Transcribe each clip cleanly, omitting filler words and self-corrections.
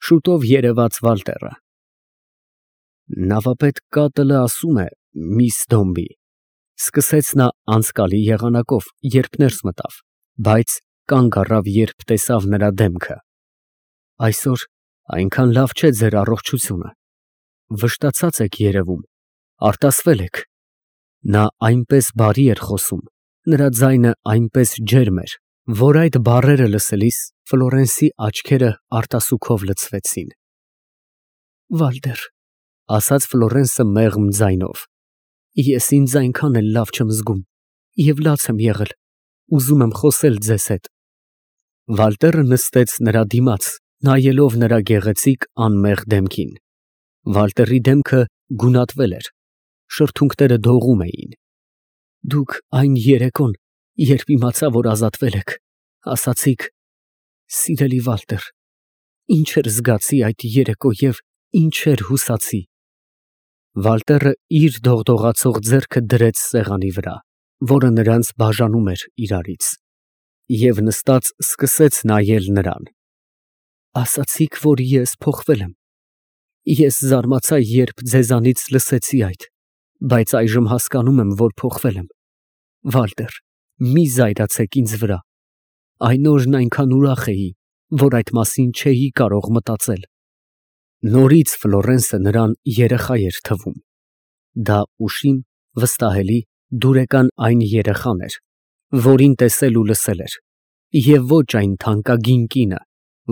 Շուտով երևաց Վալտերը։ Նավապետ Կատլը ասում է, միս Դոմբի, սկսեց նա անցկալի եղանակով, երբ ներս մտավ, բայց կանգ առավ, երբ տեսավ նրա դեմքը։ Այսօր այնքան լավ չէ ձեր առողջությունը, վշտացած եք երևում, արտասվել եք։ Նա այնպես բարի էր խոսում, նրա ձայնը այնպես ջերմ էր, որ այդ բառերը լսելիս Ֆլորենսի աչքերը արտասուքով լցվեցին։ Վալտեր, ասաց Ֆլորենսը մեղմ ձայնով, ես ինձ այնքան էլ լավ չեմ զգում և լաց եմ եղել, ուզում եմ խոսել ձեզ հետ։ Վալտերը նստեց նրա դիմաց, նայելով նրա գեղեցիկ անմեղ դեմքին։ Վալտերի դեմքը գունատվել էր, շրթունքները դողում էին։ Դուք այն երեկոն, երբ իմացա, որ ազատվել եք, ասացիք. «Սիրելի Վալտեր, ինչեր զգացի այդ երեկո և ինչեր հուսացի»։ Վալտերը իր դողդողացող ձեռքը դրեց սեղանի վրա, որը նրանց բաժանում էր իրարից, և նստած սկսեց նայել նրան։ Ասացիք, որ ես փոխվել եմ։ Ես զարմացա, երբ ձեզանից լսեցի այդ, բայց այժմ հասկանում եմ, որ փոխվել եմ։ Վալտեր, մի զայրացեք ինձ վրա։ Այն օրն այնքան ուրախ էի, որ այդ մասին չէի կարող մտածել։ Նորից Ֆլորենսը նրան երեխա էր թվում։ Դա ուշիմ, վստահելի, դուրեկան այն երեխան էր, որին տեսել ու լսել էր, և ոչ այն թանկագին կինը,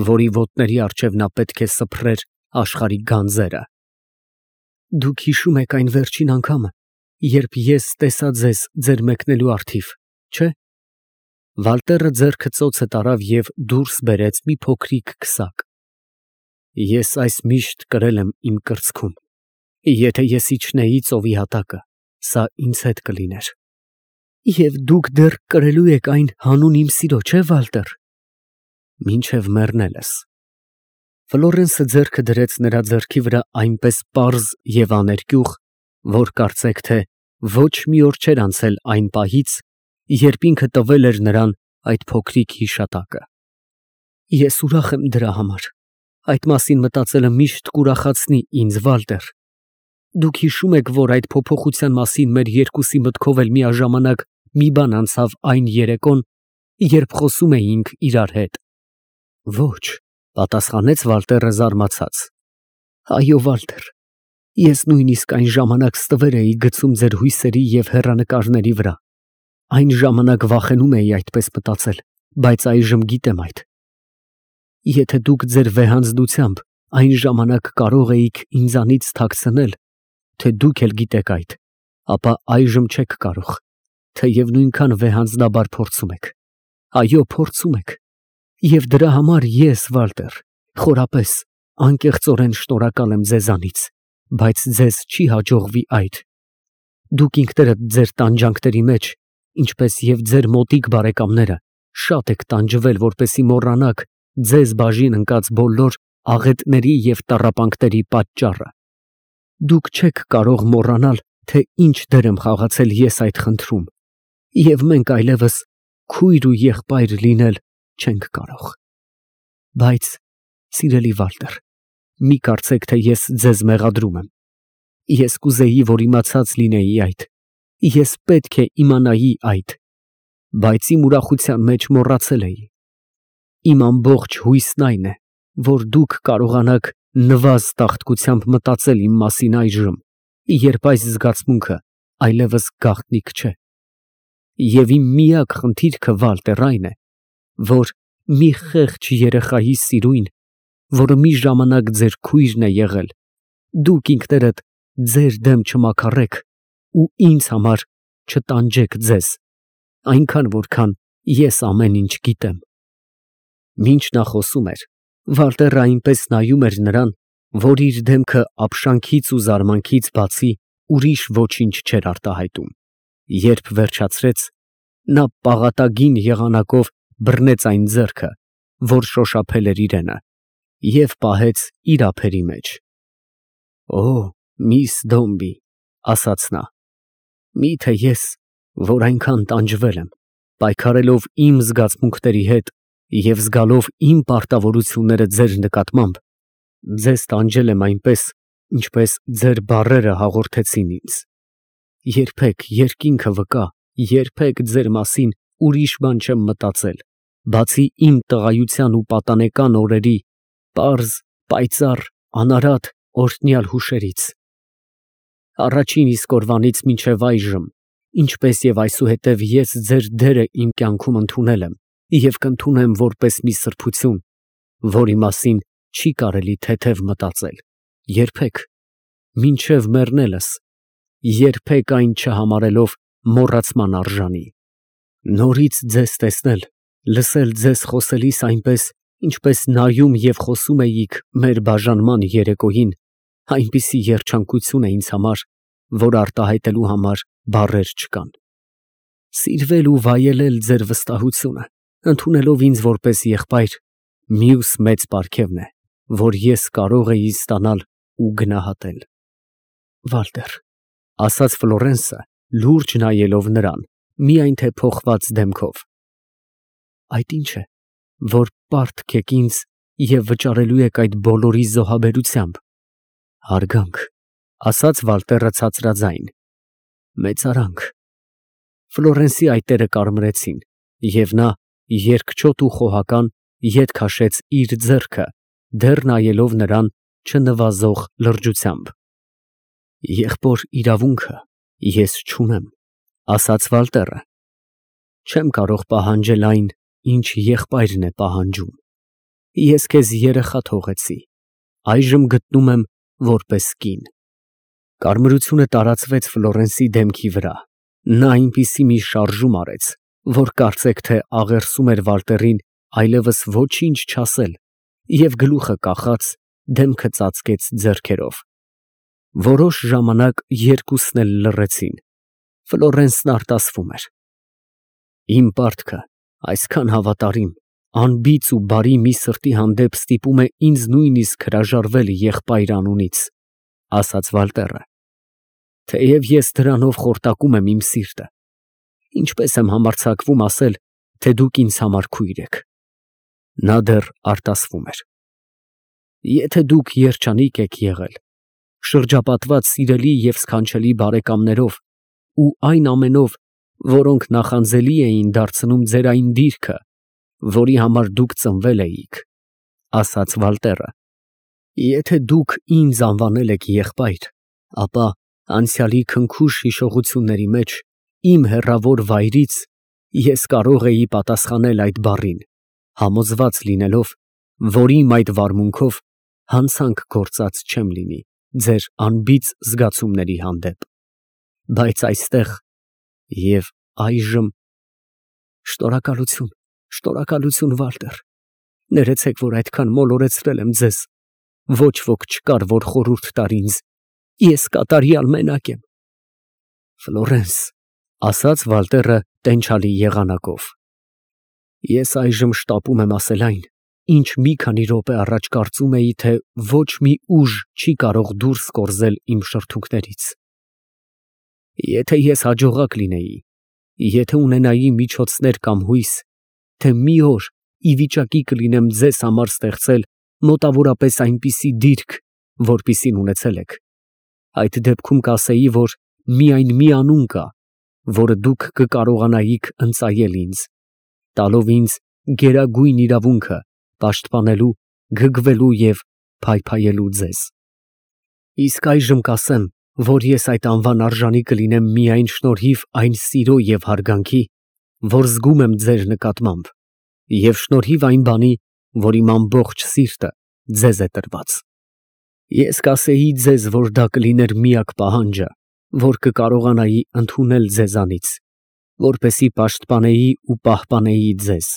որի ոտների առջև նա պետք է սփռեր աշխարհի գանձերը։ Դուք հիշում եք այն վերջին անգամը, երբ ես տեսա ձեզ ձեր մեկնելու առթիվ, չէ՞։ Վալտերը ձեռքը ծոցը տարավ և դուրս բերեց մի փոքրիկ քսակ։ Ես այս միշտ կրել եմ իմ կրծքում։ Եթե ես իջնեի ծովի հատակը, սա ինձ հետ կլիներ։ Եվ դուք դեռ կրելու եք այն հանուն իմ սիրո, չէ՞, Վալտեր։ Մինչև մեռնելս։ Ֆլորենսը ձեռքը դրեց նրա ձեռքի վրա այնպես պարզ և աներկյուղ, որ կարծեք թե ոչ մի օր չէր անցել այն պահից, երբ ինքը տվել էր նրան այդ փոքրիկ հիշատակը։ Ես ուրախ եմ դրա համար։ Այդ մասին մտածելը միշտ կուրախացնի ինձ, Վալտեր։ Դուք հիշում եք, որ այդ փոփոխության մասին մեր երկուսի մտքով էլ միաժամանակ մի բան անցավ այն երեկոն, երբ խոսում էինք իրար հետ։ Ոչ, պատասխանեց Վալտերը զարմացած։ Այո, Վալտեր, ես նույնիսկ այն ժամանակ ստվեր էի գցում ձեր հույսերի և հեռանկարների վրա։ Այն ժամանակ վախենում էի այդպես մտածել, բայց այժմ գիտեմ այդ։ Եթե դուք ձեր վեհանձնությամբ այն ժամանակ կարող էիք ինձանից թաքցնել, թե դուք էլ գիտեք այդ, ապա այժմ չեք կարող, թեև նույնքան վեհանձնաբար փորձում եք։ Այո, փորձում եք։ Եվ դրա համար ես, Վալտեր, խորապես, անկեղծորեն շնորհակալ եմ ձեզանից, բայց ձեզ չի հաջողվի այդ։ Դուք ինքներդ ձեր տանջանքների մեջ, ինչպես և ձեր մոտիկ բարեկամները, շատ եք տանջվել, որպեսզի մոռանաք ձեզ բաժին ընկած բոլոր աղետների և տառապանքների պատճառը։ Դուք չեք կարող մոռանալ, թե ինչ դեր եմ խաղացել ես այդ խնդրում, և մենք այլևս քույր ու եղբայր լինել չենք կարող։ Բայց, սիրելի Վալտեր, մի կարծեք, թե ես ձեզ մեղադրում եմ։ Ես կուզեի, որ իմացած լինեի այդ, ես պետք է իմանայի այդ, բայց իմ ուրախության մեջ մոռացել էի։ Իմ ամբողջ հույսն այն է, որ դուք կարողանաք նվազ տաղտկությամբ մտածել իմ մասին այժմ, երբ այս զգացմունքը այլևս գաղտնիք չէ։ Եվ իմ միակ խնդիրքը, Վալտեր, այն է, որ մի խեղճ երեխայի սիրույն, որը մի ժամանակ ձեր քույրն է եղել, դուք ինքներդ ձեր դեմ չմաքարեք ու ինձ համար չտանջեք ձեզ, այնքան որքան ես ամեն ինչ գիտեմ։ Մինչ նա խոսում էր, Վալտերը այնպես նայում էր նրան, որ իր դեմքը ապշանքից ու զարմանքից բացի ուրիշ ոչինչ չէր արտահայտում։ Երբ վերջացրեց, նա պաղատագին եղանակով բռնեց այն ձեռքը, որ շոշափել էր իրենը, և պահեց իր ափերի մեջ։ Օ, միս Դոմբի, ասաց նա, միթե ես, որ այնքան տանջվել եմ, պայքարելով իմ զգացմունքների հետ և զգալով իմ պարտավորությունները ձեր նկատմամբ, Ձեզ տանջել եմ այնպես, ինչպես ձեր բառերը հաղորդեցին ինձ։ Երբեք երկինքը վկա, երբեք ձեր մասին ուրիշ բան չեմ մտածել, բացի իմ տղայության ու պատանեկան օրերի պարզ, պայծառ, անարատ, օրհնյալ հուշերից։ Առաջին իսկ օրվանից մինչև այժմ, ինչպես և այսուհետև ես ձեր դերը իմ կյանքում ընդունել եմ և կընդունեմ որպես մի սրբություն, որի մասին չի կարելի թեթև մտածել, երբեք, մինչև մեռնելս, երբեք այն չհամարելով մոռացման արժանի։ Նորից ձեզ տեսնել, լսել ձեզ խոսելիս այնպես, ինչպես նայում և խոսում էիք մեր բաժանման երեկոյին, այնպիսի երջանկություն է ինձ համար, որ արտահայտելու համար բառեր չկան։ Սիրվել ու վայելել ձեր վստահությունը, ընդունելով ինձ որպես եղբայր, մյուս մեծ պարգևն է, որ ես կարող էի ստանալ ու գնահատել։ Վալտեր, ֊ ասաց Ֆլորենսը, լուրջ նայելով նրան, միայն թե փոխված դեմքով, այդ ի՞նչ է, որ պարտք եք ինձ և վճարելու եք այդ բոլորի զոհաբերությամբ։ Հարգանք, ֊ ասաց Վալտերը ցածրաձայն, մեծարանք։ Ֆլորենսի այտերը կարմրեցին, և նա երկչոտ ու խոհական ետ քաշեց իր ձեռքը, դեռ նայելով նրան չնվազող լրջությամբ։ Եղբոր իրավունքը ես չունեմ, ֊ ասաց Վալտերը, չեմ կարող պահանջել այն, ինչ եղբայրն է պահանջում։ Ես քեզ երեխա թողեցի, այժմ գտնում եմ որպես կին։ Կարմրությունը տարածվեց Ֆլորենսի դեմքի վրա, նա այնպիսի մի շարժում արեց, որ կարծեք թե աղերսում էր Վալտերին այլևս ոչինչ չասել և գլուխը կախած, դեմքը ծածկեց ձեռքերով։ Որոշ ժամանակ երկուսն էլ լռեցին, Ֆլորենսն արտասվում էր։ Իմ պարտքը այսքան հավատարիմ, անբիծ ու բարի մի սրտի հանդեպ ստիպում է ինձ նույնիսկ հրաժարվել եղբայր անունից, ֊ ասաց Վալտերը, թեև ես դրանով խորտակում եմ իմ սիրտը, ինչպես եմ համարձակվում ասել, թե դուք ինձ համար քույր եք։ Նա դեռ արտասվում էր։ Եթե դուք երջանիկ եք եղել, շրջապատված սիրելի և սքանչելի բարեկամներով ու այն ամենով, որոնք նախանձելի էին դարձնում ձեր այն դիրքը, որի համար դուք ծնվել էիք, ֊ ասաց Վալտերը, եթե դուք ինձ անվանել եք եղբայր, ապա անցյալի քնքուշ հիշողությունների մեջ իմ հեռավոր վայրից ես կարող էի պատասխանել այդ բառին, համոզված լինելով, որ իմ այդ վարմունքով հանցանք գործած չեմ լինի ձեր անբիծ զգացումների հանդեպ, բայց այստեղ և այժմ… Շնորհակալություն, շնորհակալություն, Վալտեր, ներեցեք, որ այդքան մոլորեցրել եմ ձեզ, ոչ ոք չկար, որ խորհուրդ տար ինձ, ես կատարյալ մենակ եմ։ Ֆլորենս, ֊ ասաց Վալտերը տենչալի եղանակով, ես այժմ շտապում եմ ասել այն, ինչ մի քանի րոպե առաջ կարծում էի, թե ոչ մի ուժ չի կարող դուրս կորզել իմ շրթունքներից։ Եթե ես հաջողակ լինեի, եթե ունենայի միջոցներ կամ հույս, թե մի օր ի վիճակի կլինեմ ձեզ համար ստեղծել մոտավորապես այնպիսի դիրք, որպիսին ունեցել եք, այդ դեպքում կասեի, որ միայն մի անուն կա, որը դուք կկարողանայիք ընծայել ինձ, տալով ինձ գերագույն իրավունքը պաշտպանելու, գգվելու և փայփայելու ձեզ։ Իսկ այժմ կասեմ, որ ես այդ անվան արժանի կլինեմ միայն շնորհիվ այն սիրո և հարգանքի, որ զգում եմ ձեր նկատմամբ, և շնորհիվ այն բանի, որ իմ ամբողջ սիրտը ձեզ է տրված։ Ես կասեի ձեզ, որ դա կլիներ միակ պահանջը, որ կկարողանայի ընդունել ձեզանից, որպեսզի պաշտպանեի ու պահպանեի ձեզ,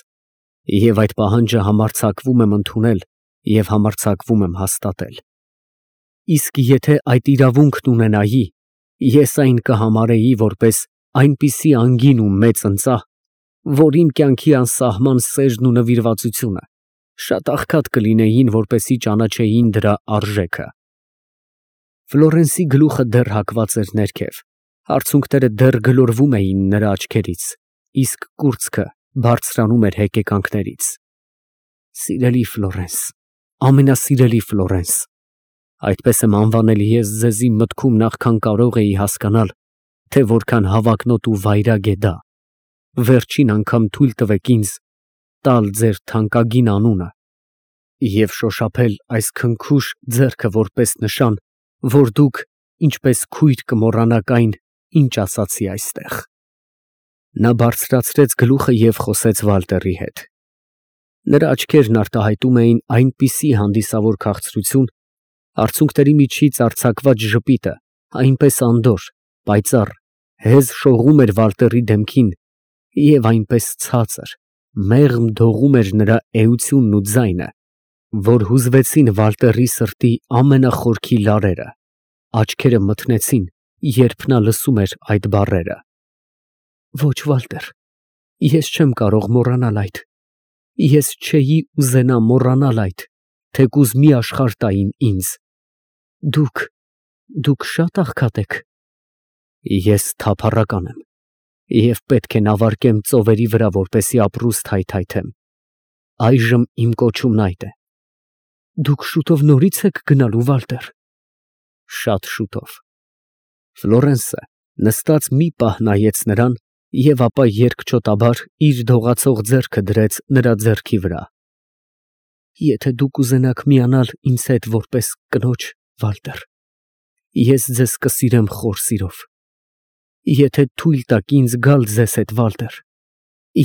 և այդ պահանջը համարձակվում եմ ընդունել և համարձակվում եմ հաստատել։ Իսկ եթե այդ իրավունքն ունենայի, ես այն կհամարեի որպես այնպիսի անգին ու մեծ ընծա, որ իմ կյանքի անսահման սերն ու նվիրվածությունը շատ աղքատ կլինեին, որպեսզի ճանաչեին դրա արժեքը։ Ֆլորենսի գլուխը դեռ հագված էր ներքև, արցունքները դեռ գլորվում էին նրա աչքերից, իսկ կուրծքը բարձրանում էր հեկեկանքներից։ Սիրելի Ֆլորենս, ամենասիրելի Ֆլորենս, այդպես եմ անվանել ես ձեզի մտքում նախքան կարող էի հասկանալ, թե որքան հավակնոտ ու վայրագ է դա, վերջին անգամ թույլ տվեք ինձ տալ ձեր թանկագին անունը և շոշափել այս քնքուշ ձեռքը որպես նշան, որ դուք ինչպես քույր կմոռանաք այն, ինչ ասացի այստեղ։ Նա բարձրացրեց գլուխը և խոսեց Վալտերի հետ։ Նրա աչքերն արտահայտում էին այնպիսի հանդիսավոր քաղցրություն, արցունքների միջից արձակված ժպիտը այնպես անդորր, պայծառ, հեզ շողում էր Վալտերի դեմքին և այնպես ցածր, մեղմ դողում էր նրա էությունն ու ձայնը, որ հուզվեցին Վալտերի սրտի ամենախորքի լարերը, աչքերը մթնեցին, երբ նա լսում էր այդ բառերը։ Ոչ, Վալտեր, ես չեմ կարող մոռանալ այդ, ես չէի ուզենա մոռանալ այդ, թեկուզ մի աշխարհ տային ինձ։ Դուք շատ աղքատ եք։ Ես թափառական եմ և պետք է նավարկեմ ծովերի վրա, որպեսզի ապրուստ հայթայթեմ։ Այժմ իմ կոչումն այդ է։ Դուք շուտով նորից եք գնալու, Վալտեր։ Շատ շուտով։ Ֆլորենսը նստած մի պահ նայեց նրան և ապա երկչոտաբար իր դողացող ձեռքը դրեց նրա ձեռքի վրա։ Եթե դուք ուզենաք միանալ ինձ հետ որպես կնոջ, Վալտեր, ես ձեզ կսիրեմ խոր սիրով։ Եթե թույլ տաք ինձ գալ ձեզ հետ, Վալտեր,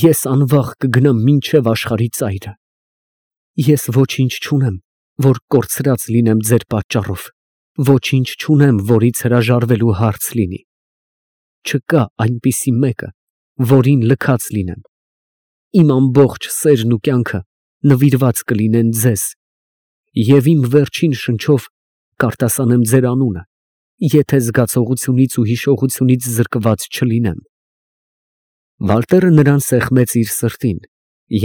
ես անվաղ կգնամ մինչև աշխարհի ծայրը։ Ես ոչինչ չունեմ, որ կորցրած լինեմ ձեր պատճառով, ոչինչ չունեմ, որից հրաժարվելու հարց լինի։ Չկա այնպիսի մեկը, որին լքած լինեմ։ Իմ ամբողջ սերն ու կյանքը նվիրված կլինեն ձեզ, և իմ վերջին շնչով կարտասանեմ ձեր անունը, եթե զգացողությունից ու հիշողությունից զրկված չլինեմ։ Վալտերը նրան սեղմեց իր սրտին,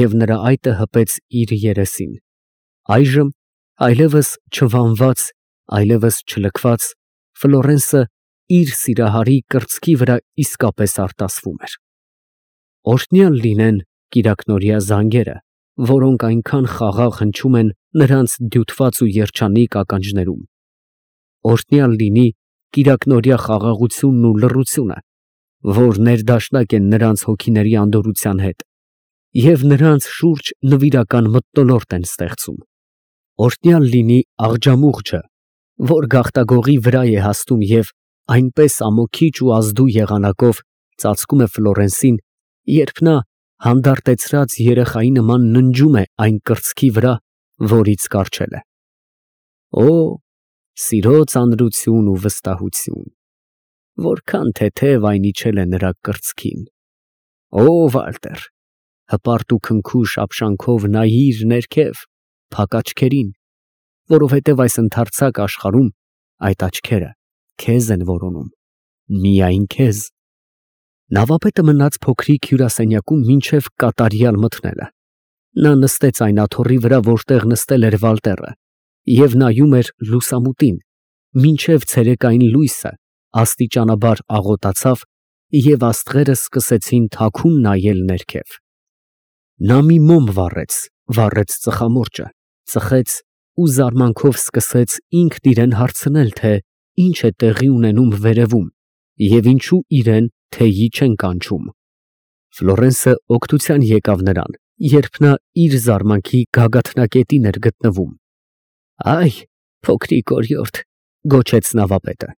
և նրա այտը հպեց իր երեսին։ Այժմ, այլևս չվանված, այլևս չլքված, Ֆլորենսը իր սիրահարի կրծքի վրա իսկապես արտասվում էր։ Օրհնյալ լինեն կիրակնօրյա զանգերը, որոնք այնքան խաղաղ հնչում են նրանց դյութված ու երջանիկ ականջներում։ Օրհնյալ լինի կիրակնօրյա խաղաղությունն ու լռությունը, որ ներդաշնակ են նրանց հոգիների անդորրության հետ և նրանց շուրջ նվիրական մթնոլորտ են ստեղծում։ Օրհնյալ լինի աղջամուղջը, որ գաղտագողի վրա է հասնում և այնպես ամոքիչ ու ազդու եղանակով ծածկում է Ֆլորենսին, երբ նա հանդարտեցրած երեխայի նման ննջում է այն կրծքի վրա, որից կառչել է։ Օ, սիրո ծանրություն ու վստահություն, որքան թեթև այն իջել է նրա կրծքին։ Օ, Վալտեր, հպարտ ու քնքուշ ապշանքով նայիր ներքև, փակ աչքերին, որովհետև այս ընդարձակ աշխարհում այդ աչքերը քեզ են որոնում, միայն քեզ։ Նավապետը մնաց փոքրիկ հյուրասենյակում մինչև կատարյալ մթնելը։ Նա նստեց այն աթոռի վրա, որտեղ նստել էր Վալտերը, և նայում էր լուսամուտին, մինչև ցերեկային լույսը աստիճանաբար աղոտացավ, և աստղերը սկսեցին թաքուն նայել ներքև։ Նա մի մոմ վառեց ծխամորճը, ծխեց ու զարմանքով սկսեց ինքն իրան հարցնել, թե ինչ է տեղի ունենում վերևում և ինչու իրան թեյի չեն կանչում։ Ֆլորենսը օգնության եկավ նրան, երբ նա իր զարմանքի գագաթնակետին էր գտնվում։ Այ, փոքրիկ օրիորդ, գոչեց նավապետը,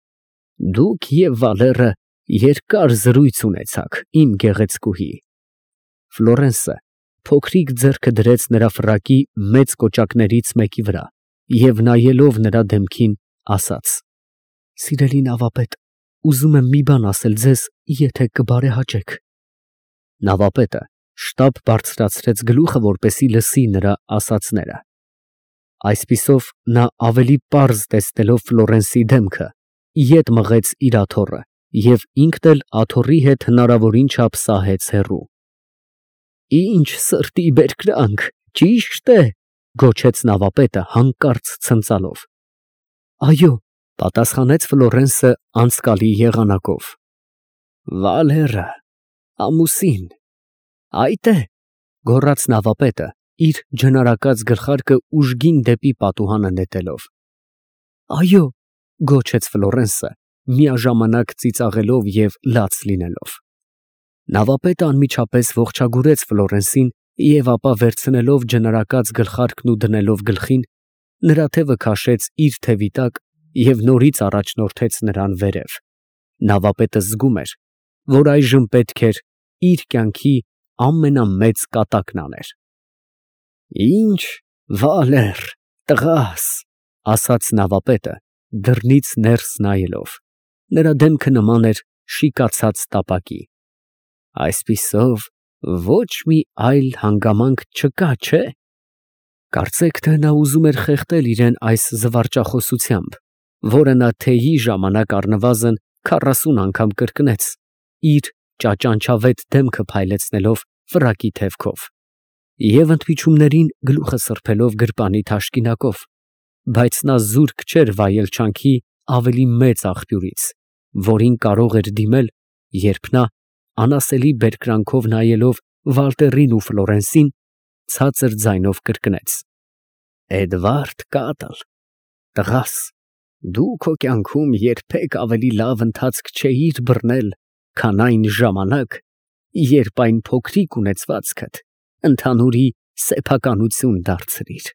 դուք և Վալերը երկար զրույց ունեցաք, իմ գեղեցկուհի։ Ֆլորենսը փոքրիկ ձեռքը դրեց նրա ֆրակի մեծ կոճակներից մեկի վրա և նայելով նրա դեմքին, ասաց. Սիրելի նավապետ, ուզում եմ մի բան ասել ձեզ, եթե կբարեհաճեք։ Նավապետը շտապ բարձրացրեց գլուխը, որպեսզի լսի նրա ասածները։ Այսպիսով նա ավելի պարզ տեսնելով Ֆլորենսի դեմքը, ետ մղեց իր աթոռը և ինքն էլ աթոռի հետ հնարավորին չափ սահեց հեռու։ Ինչ սրտի բերկրանք, ճիշտ է, գոչեց նավապետը հանկարծ ցնծալով։ Այո, պատասխանեց Ֆլորենսը անցկալի եղանակով։ Վալերը, ամուսին, այդ է, գոռաց նավապետը իր ջնարակած գլխարկը ուժգին դեպի պատուհանը նետելով։ Այո, գոչեց Ֆլորենսը, միաժամանակ ծիծաղելով և լաց լինելով։ Նավապետը անմիջապես ողջագուրեց Ֆլորենսին և ապա վերցնելով ջնարակած գլխարկն ու դնելով գլխին, նրա թևը քաշեց իր թևի տակ և նորից առաջնորդեց նրան վերև։ Նավապետը զգում էր, որ այժմ պետք էր իր կյանքի ամենամեծ կատակն աներ։ Ինչ վալեր, տղաս, ասաց նավապետը, դռնից ներս նայելով. նրա դեմքը նման էր շիկացած տապակի։ Այսպիսով ոչ մի այլ հանգամանք չկա, չէ՞։ Կարծեք, թե նա ուզում էր խեղդել իրան այս զվարճախոսությամբ, որը նա թեյի ժամանակ առնվազն 40 անգամ կրկնեց, իր ճաճանչավետ դեմքը փայլեցնելով ֆրակի թևքով և ընդմիջումներին գլուխը սրբելով գրպանի թաշկինակով, բայց նա զուրկ չէր վայել չանքի ավելի մեծ աղբյուրից, որին կարող էր դիմել, երբ նա, անասելի բերկրանքով նայելով Վալտերին ու Ֆլորենսին, ցածր ձայնով կրկնեց. Էդվարդ Կատլ, տղաս, դու քո կյանքում երբեք ավելի լավ ընթացք չէիր բռնել, քան այն ժամանակ, երբ այն փոքրիկ ունեցվածքդ ընդհանուրի սեփականություն դարձրիր։